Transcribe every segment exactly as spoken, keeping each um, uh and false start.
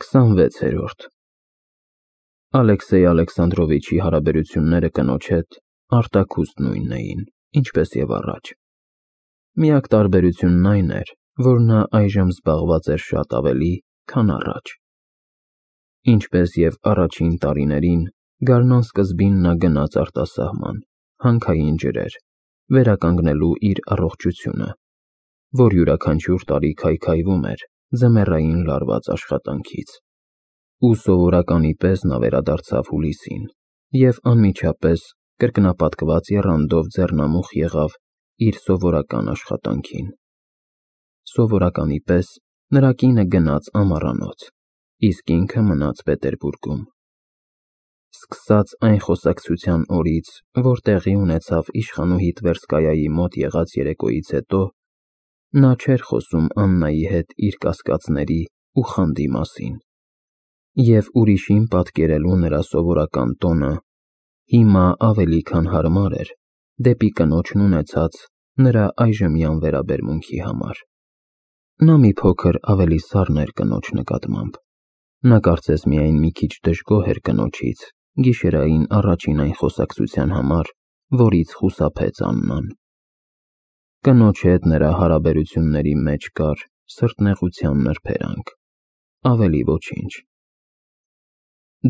քսանվեցերորդ Ալեքսեյ Ալեքսանդրովիչի հարաբերությունները կնոջ հետ արտաքուստ նույնն էին, ինչպես և առաջ։ Միակ տարբերությունն այն էր, որ նա այժմ զբաղված էր շատ ավելի, քան առաջ։ Ինչպես և առաջին տարիներին, գարնան սկզբին նա գնաց արտասահման, հանքային ջրեր, վերականգնելու իր առողջությունը, որ յուրաքանչյուր տարի քայքայվում էր ձմեռային լարված աշխատանքից, ու սովորականի պես նա վերադարձավ հուլիսին և անմիջապես կրկնապատկված եռանդով ձեռնամուխ եղավ իր սովորական աշխատանքին։ Սովորականի պես նրա կինը գնաց ամառանոց, իսկ ինքը մնաց Պետերբուրգում։ Սկսած այն խոսակցության օրից, որ տեղի ունեցավ իշխանուհի Տվերսկայայի մոտ եղած երեկոյից հետո, նա չէր խոսում Աննայի հետ իր կասկածների ու խանդի մասին, և ուրիշին պատկերելու նրա սովորական տոնը հիմա ավելի քան հարմար էր դեպի կնոջն ունեցած նրա այժմյան վերաբերմունքի համար։ Նա մի փոքր ավելի սառն էր կնոջ նկատմամբ։ Նա կարծես միայն մի քիչ դժգոհ էր կնոջից գիշերային առաջին այն խոսակցության համար, որից խուսափեց Աննան։ Կնոջ հետ նրա հարաբերությունների մեջ կար սրտնեղության նրբերանգ, ավելի ոչինչ։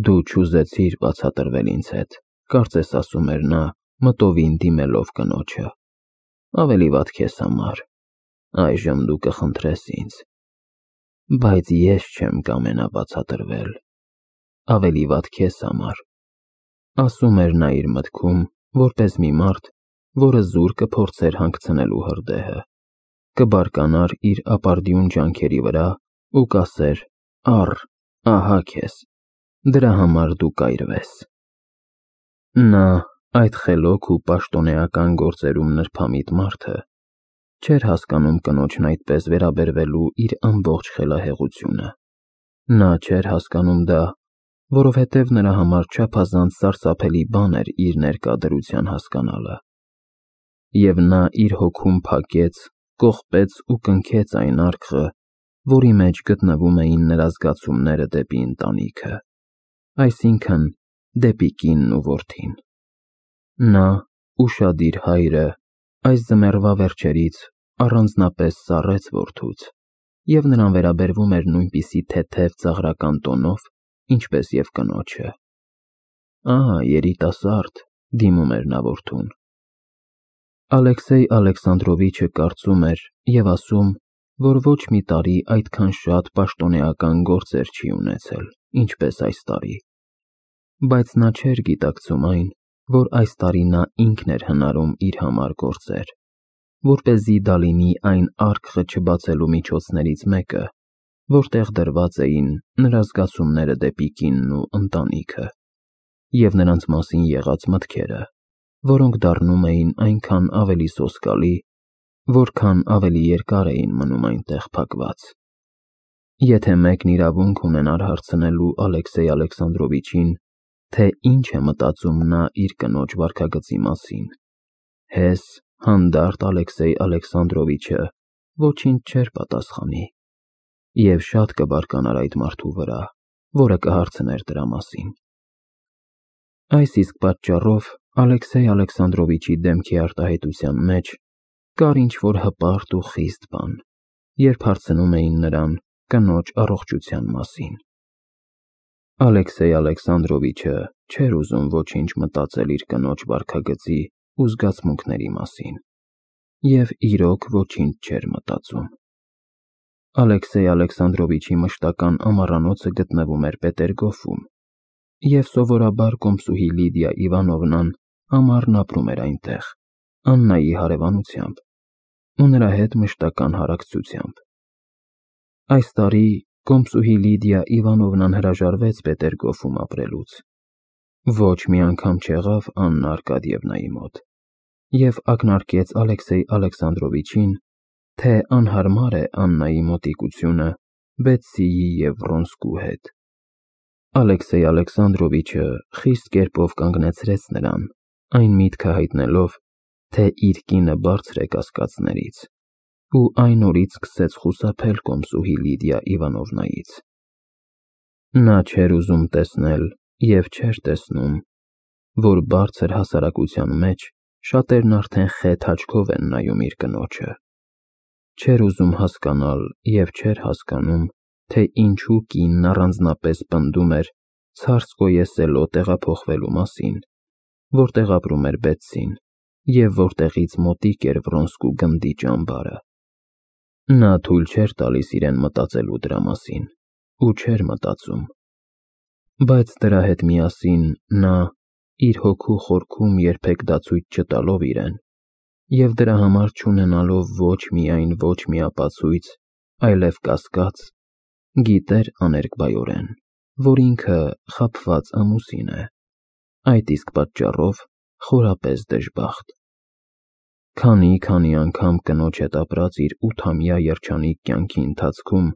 Դու չուզեցիր բացատրվել ինձ հետ, կարծես ասում էր նա, մտովին դիմելով կնոջը, ավելի վատ քեզ համար, այժմ դու կխնդրես ինձ, բայց ես չեմ կամենա բացատրվել, ավելի վատ քեզ համար, ասում էր նա իր մտքում, որպես մի մարդ, որը զուր կփորձեր հանգցնելու հրդեհը, կբարկանար իր ապարդյուն ջանքերի վրա ու կասեր. առ, ահա քեզ, դրա համար դու կայրվես։ Նա, այդ խելոք ու պաշտոնեական գործերում նրբամիտ մարդը, չէր հասկանում կնոջն այդպես վերաբերվելու իր ամբողջ խելահեղությունը։ Նա չէր հասկանում դա, որովհետև նրա համար չափազանց սարսափելի բան էր իր ներկա դրության հասկանալը։ Եվ նա իր հոգում փակեց, կողպեց ու կնքեց այն արկղը, որի մեջ գտնվում էին նրա զգացումները դեպի ընտանիքը, այսինքն՝ դեպի կինն ու որդին։ Նա, ուշադիր հայրը, այս ձմեռվա վերջերից առանձնապես սառեց որդուց, և նրան վերաբերվում էր նույնպիսի թեթև ծաղրական տոնով, ինչպես և կնոջը։ Ահա երիտասարդ, դիմում էր նա որդուն։ Ալեքսեյ Ալեքսանդրովիչը կարծում էր և ասում, որ ոչ մի տարի այդքան շատ պաշտոնեական գործեր չի ունեցել, ինչպես այս տարի, բայց նա չէր գիտակցում այն, որ այս տարի նա ինքն էր հնարում իր համար գործեր, որպեսզի դա լինի այն արկղը չբացելու միջոցներից մեկը, որտեղ դրված էին նրա զգացումները դեպի կինն ու ընտանիքը, և նրանց մասին եղած մտքերը, որոնք դառնում էին այնքան ավելի սոսկալի, որքան ավելի երկար էին մնում այնտեղ փակված։ Եթե մեկն իրավունք ունենար հարցնելու Ալեքսեյ Ալեքսանդրովիչին, թե ինչ է մտածում նա իր կնոջ վարքագծի մասին, հես, հանդարտ Ալեքսեյ Ալեքսանդրովիչը ոչինչ չէր պատասխանի, և շատ կբարկանար այդ մարդու վրա, որը կհարցներ դրա մասին։ Այս իսկ պատճառով Ալեքսեյ Ալեքսանդրովիչի դեմքի արտահայտության մեջ կար ինչ-որ հպարտ ու խիստ բան, երբ հարցնում էին նրան կնոջ առողջության մասին։ Ալեքսեյ Ալեքսանդրովիչը չէր ուզում ոչինչ մտածել իր կնոջ վարքագծի ու զգացմունքների մասին, և իրոք ոչինչ չէր մտածում։ Ալեքսեյ Ալեքսանդրովիչի մշտական ամառանոցը գտնվում էր Պետերգոֆում, և սովորաբար կոմսուհի Լիդիա Իվանովնան ամառն ապրում էր այնտեղ, Աննայի հարևանությամբ ու նրա հետ մշտական հարակցությամբ։ Այս տարի կոմսուհի Լիդիա Իվանովնան հրաժարվեց Պետերգոֆում ապրելուց, ոչ մի անգամ չեղավ Աննա Արկադիևնայի մոտ, և ակնարկեց Ալեքսեյ Ալեքսանդրովիչին, թե անհարմար է Աննայի մոտիկությունը Բետսիի և Վրոնսկու հետ։ Ալեքսեյ Ալեքսանդրովիչը խիստ կերպով կանգնեցրեց նրան, այն միտքը հայտնելով, թե իր կինը բարձր է կասկածներից, ու այն օրից սկսեց խուսափել կոմսուհի Լիդիա Իվանովնայից։ Նա չէր ուզում տեսնել և չէր տեսնում, որ բարձր հասարակության մեջ շատերն արդեն խեթ աչքով են նայում իր կնոջը։ Չէր ուզում հասկանալ և չէր հասկանում, թե ինչու կինն առանձնապես պնդում էր Ցարսկոե-Սելո տեղափոխվելու մասին, որտեղ ապրում էր Բետսին, և որտեղից մոտիկ էր Վրոնսկու գնդի ճամբարը։ Նա թույլ չէր տալիս իրեն մտածելու դրա մասին, ու չէր մտածում։ Բայց դրա հետ միասին նա, իր հոգու խորքում երբեք դացույց չտալով իրեն, և դրա համար չունենալով ոչ միայն ոչ մի ապացույց, այլև կասկած, գիտեր աներկբայորեն, որ ինքը խաբված ամուսին է, այդ իսկ պատճառով խորապես դժբախտ։ Քանի-քանի անգամ կնոջ հետ ապրած իր ութամյա երջանիկ կյանքի ընթացքում,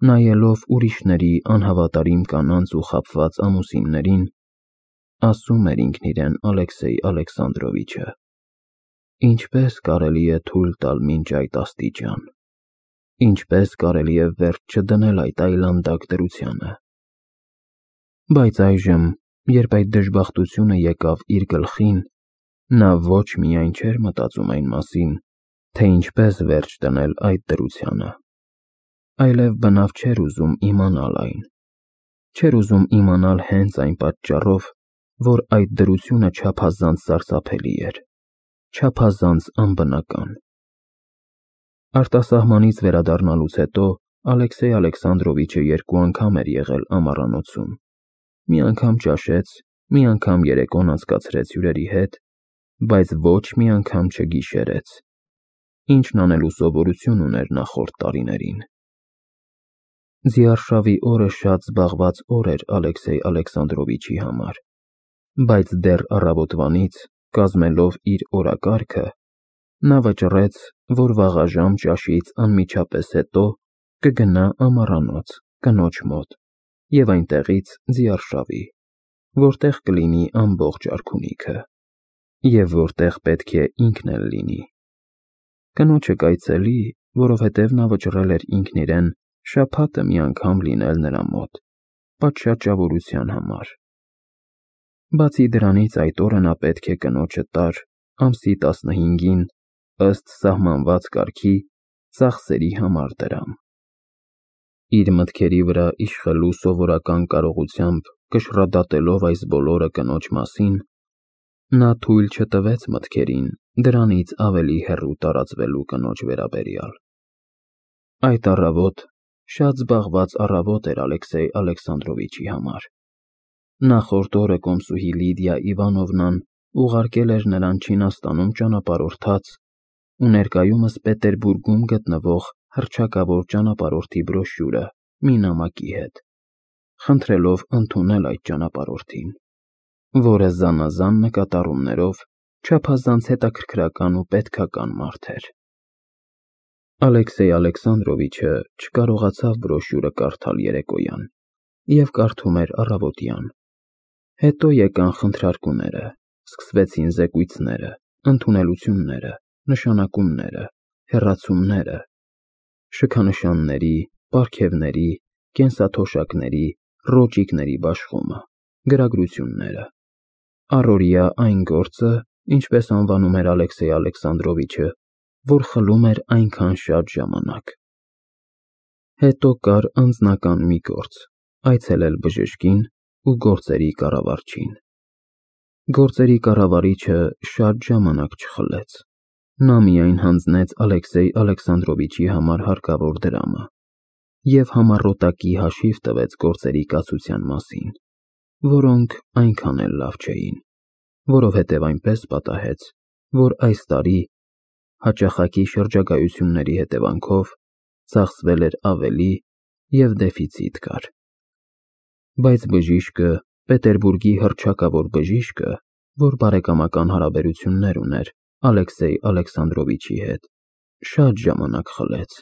նայելով ուրիշների անհավատարիմ կանանց ու խաբված ամուսիններին, ասում էր ինքն իրեն Ալեքսեյ Ալեքսանդրովիչը. ինչպես կարելի է թույլ տալ մինչ այդ աստիճան, ինչպես կարելի է վերջ չդնել այդ այլանդակ դրությանը։ Բայց այժմ, երբ այդ դժբախտությունը եկավ իր գլխին, նա ոչ միայն չէր մտածում այն մասին, թե ինչպես վերջ դնել այդ դրությանը, այլև բնավ չէր ուզում իմանալ այն, չէր ուզում իմանալ հենց այն պատճառով, որ այդ դրությունը չափազանց սարսափելի էր, չափազանց անբնական։ Արտասահմանից վերադառնալուց հետո Ալեքսեյ Ալեքսանդրովիչը երկու անգամ էր եղել ամառանոցում, մի անգամ ճաշեց, մի անգամ երեկոն անցկացրեց հյուրերի հետ, բայց ոչ մի անգամ չգիշերեց, ինչն անելու սովորություն ուներ նախորդ տարիներին։ Ձիարշավի օրը շատ զբաղված օր էր Ալեքսեյ Ալեքսանդրովիչի համար, բայց դեռ առավոտվանից, կազմելով իր օրակարգը, նա վճռեց, որ վաղաժամ ճաշից անմիջապես հետո կգնա ամառանոց կնոջ մոտ և այնտեղից ձիարշավի, որտեղ կլինի ամբողջ արքունիքը, և որտեղ պետք է ինքն էլ լինի։ Կնոջը կայցելի, որովհետև նա վճռել էր ինքն իրեն շաբաթը մի անգամ լինել նրա մոտ, պատշաճավորության համար։ Բացի դրանից այդ օրը նա պետք է կնոջը տար ամսի տասնհինգին, ըստ սահմանված կարգի, ծախսերի համար դրամ։ Իր մտքերի վրա իշխելու սովորական կարողությամբ կշռադատելով այս բոլորը կնոջ մասին, նա թույլ չտվեց մտքերին դրանից ավելի հեռու տարածվելու կնոջ վերաբերյալ։ Այդ առավոտ շատ զբաղված առավոտ էր Ալեքսեյ Ալեքսանդրովիչի համար։ Նախորդ օրը կոմսուհի Լիդիա Իվանովնան ուղարկել էր նրան Չինաստանում ճանապարհորդած ու ներկայումս Պետերբուրգում գտնվող հռչակավոր ճանապարհորդի բրոշյուրը մի նամակի հետ, խնդրելով ընդունել այդ ճանապարհորդին, որը զանազան նկատառումներով չափազանց հետաքրքրական ու պետքական մարդ էր։ Ալեքսեյ Ալեքսանդրովիչը չկարողացավ բրոշյուրը կարդալ երեկոյան և կարդում էր առավոտյան։ Հետո եկան խնդրարկումները, սկսվեցին զեկույցները, ընդունելությունները, նշանակումները, հեռացումները, շքանշանների, պարգևների, կենսաթոշակների, ռոճիկների բաշխումը, գրագրությունները, առօրյա այն գործը, ինչպես անվանում էր Ալեքսեյ Ալեքսանդրովիչը, որ խլում էր այնքան շատ ժամանակ։ Հետո կար անձնական մի գործ՝ այցելել բժշկին ու գործերի կառավարչին։ Գործերի կառավարիչը շատ ժամանակ չխլեց։ Նա միայն հանձնեց Ալեքսեյ Ալեքսանդրովիչի համար հարկավոր դրամը և համառոտակի հաշիվ տվեց գործերի կացության մասին, որոնք այնքան էլ լավ չէին, որովհետև այնպես պատահեց, որ այս տարի, հաճախակի շրջագայությունների հետևանքով, ծախսվել էր ավելի և դեֆիցիտ կար։ Բայց բժիշկը, Պետերբուրգի հռչակավոր բժիշկը, որ բարեկամական հարաբերություններ ուներ Ալեքսեյ Ալեքսանդրովիչի հետ, շատ ժամանակ խլեց։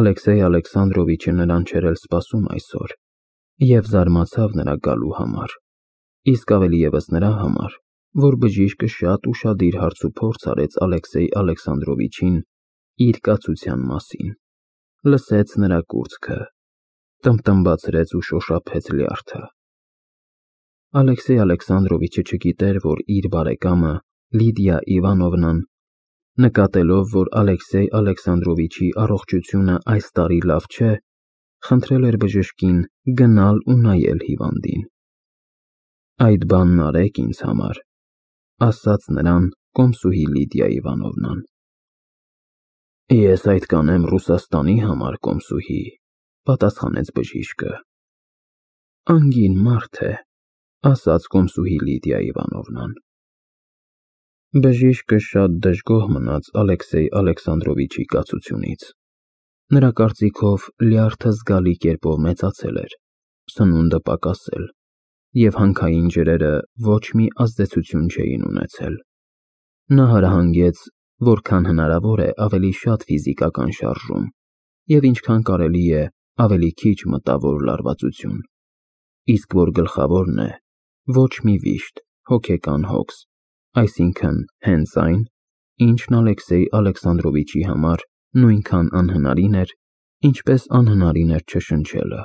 Ալեքսեյ Ալեքսանդրովիչը նրան չէր էլ սպասում այսօր և զարմացավ նրա գալու համար, իսկ ավելի ևս նրա համար, որ բժիշկը շատ ուշադիր հարցուփորձ արեց Ալեքսեյ Ալեքսանդրովիչին իր կացության մասին, լսեց նրա կուրծքը, տմտմբացրեց ու շոշափեց լյարդը։ Ալեքսեյ Ալեքսանդրովիչը չգիտեր, որ իր բարեկամը Լիդիա Իվանովնան, նկատելով, որ Ալեքսեյ Ալեքսանդրովիչի առողջությունը այս տարի լավ չէ, խնդրել էր բժշկին գնալ ու նայել հիվանդին։ Այդ բանն արեք ինձ համար, ասաց նրան կոմսուհի Լիդիա Իվանովնան։ Ես այդ կանեմ Ռուսաստանի համար, կոմսուհի, պատասխանեց բժիշկը։ Անգին մարդ է, ասաց կոմսուհի Լիդիա Իվանովնան։ Բժիշկը շատ դժգոհ մնաց Ալեքսեյ Ալեքսանդրովիչի կացությունից։ Նրա կարծիքով լյարդը զգալի կերպով մեծացել էր, սնունդը պակասել, և հանքային ջրերը ոչ մի ազդեցություն չէին ունեցել։ Նա հրահանգեց, որքան հնարավոր է ավելի շատ ֆիզիկական շարժում և ինչքան կարելի է ավելի քիչ մտավոր լարվածություն, իսկ որ գլխավորն է, ոչ մի վիշտ, հոգեկան հոգս, այսինքն հենց այն, ինչն Ալեքսեյ Ալեքսանդրովիչի համար նույնքան անհնարին էր, ինչպես անհնարին էր չշնչելը։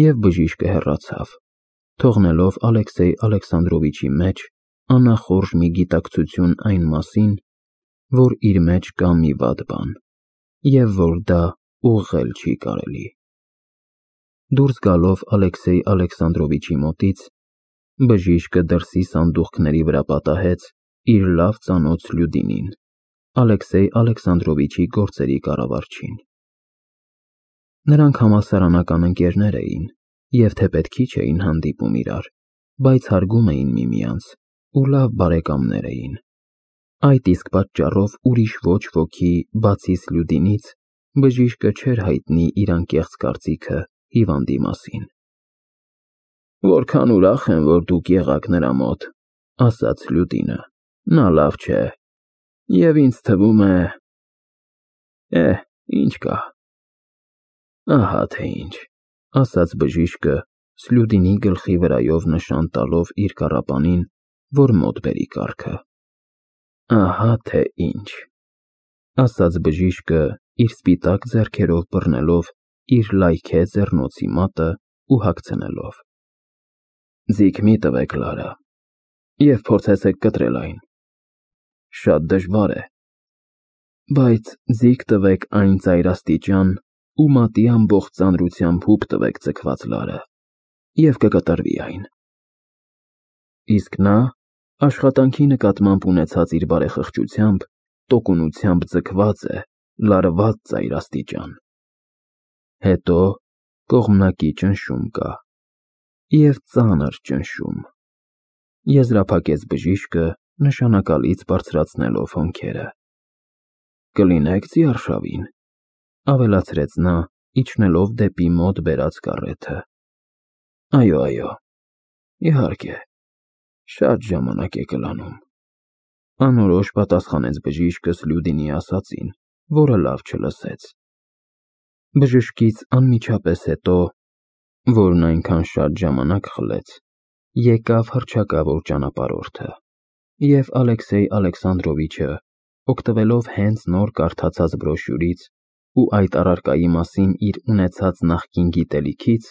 Եվ բժիշկը հեռացավ, թողնելով Ալեքսեյ Ալեքսանդրովիչի մեջ անախորժ մի գիտակցություն այն մասին, որ իր մեջ կա մի վատ բան, և որ դա ուղղել չի կարելի։ Դուրս գալով Ալեքսեյ Ալեքսանդրովիչի մոտից, բժիշկը դրսի սանդուղքների վրա պատահեց իր լավ ծանոթ Սլյուդինին, Ալեքսեյ Ալեքսանդրովիչի գործերի կառավարչին։ Նրանք համալսարանական ընկերներ էին և թեպետ քիչ էին հանդիպում իրար, բայց հարգում էին միմյանց ու լավ բարեկամներ էին։ Այդ իսկ պատճառով ուրիշ ոչ ոքի, բացի Սլյուդինից, բժիշկը չէր հայտնի իր անկեղծ կարծիքը հիվանդի մասին։ Որքան ուրախ եմ, որ դուք եղաք նրա մոտ, ասաց Սլյուդինը, նա լավ չէ, և ինձ թվում է… Է, ինչ կա։ Ահա թե ինչ, ասաց բժիշկը Սլյուդինի գլխի վրայով նշան տալով իր կառապանին, որ մոտ բերի կառքը։ Ահա թե ինչ, ասաց բժիշկը իր սպիտակ ձեռքերով բռնելով իր լայքե ձեռնոցի մատը ու հագցնելով։ Ձիգ մի տվեք Լարա, և փորձեցեք կտրել այն։ Շատ դժվար է, բայց ձիգ տվեք այն ծայրաստիճան ու մատի ամբողջ ծանրությամբ հուպ տվեք ձգված լարը, և կկտրվի այն։ Իսկ նա աշխատանքի նկատմամբ ունեցած իր բարեխղճությամբ, տոկունությամբ ձգված է, լարված ծայրաստիճան։ Հետո կողմնակի ճնշում կա, և ծանր ճնշում, եզրափակեց բժիշկը նշանակալից բարձրացնելով հոնքերը։ Կլինեք ձիարշավին, ավելացրեց նա, իջնելով դեպի մոտ բերած կառեթը։ Այո, այո, իհարկե, շատ ժամանակ է կլանում, անորոշ պատասխանեց բժիշկը Սլյուդինի ասածին, որը լավ չլսեց։ Բժշկից անմիջապես հետո, որն այնքան շատ ժամանակ խլեց, եկավ հռչակավոր ճանապարհորդը, և Ալեքսեյ Ալեքսանդրովիչը, օգտվելով հենց նոր կարդացած բրոշյուրից ու այդ առարկայի մասին իր ունեցած նախկին գիտելիքից,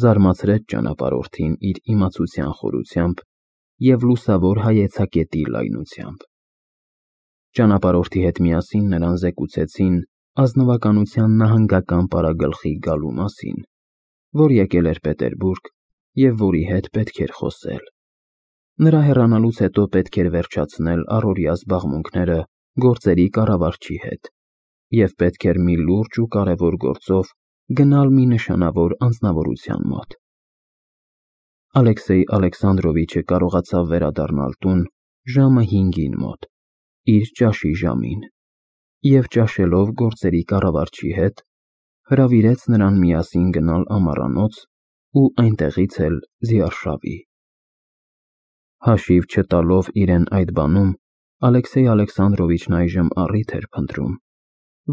զարմացրեց ճանապարհորդին իր իմացության խորությամբ և լուսավոր հայեցակետի լայնությամբ։ Ճանապարհորդի հետ միասին նրան զեկուցեցին ազնվականության նահանգական պարագլխի գալու մասին, որ եկել էր Պետերբուրգ և որի հետ պետք էր խոսել։ Նրա հեռանալուց հետո պետք էր վերջացնել առօրյա զբաղմունքները գործերի կառավարչի հետ և պետք էր մի լուրջ ու կարևոր գործով գնալ մի նշանավոր անձնավորության մոտ։ Ալեքսեյ Ալեքսանդրովիչը կարողացավ վերադառնալ տուն ժամը հինգին մոտ, իր ճաշի ժամին, և ճաշելով գործերի կառավարչի հետ, հրավիրեց նրան միասին գնալ ամառանոց ու այնտեղից էլ ձիարշավի։ Հաշիվ չտալով իրեն այդ բանում, Ալեքսեյ Ալեքսանդրովիչն այժմ առիթ էր փնտրում,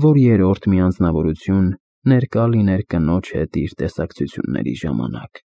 որ երրորդ մի անձնավորություն ներկա լիներ կնոջ հետ իր տեսակցությունների ժամանակ։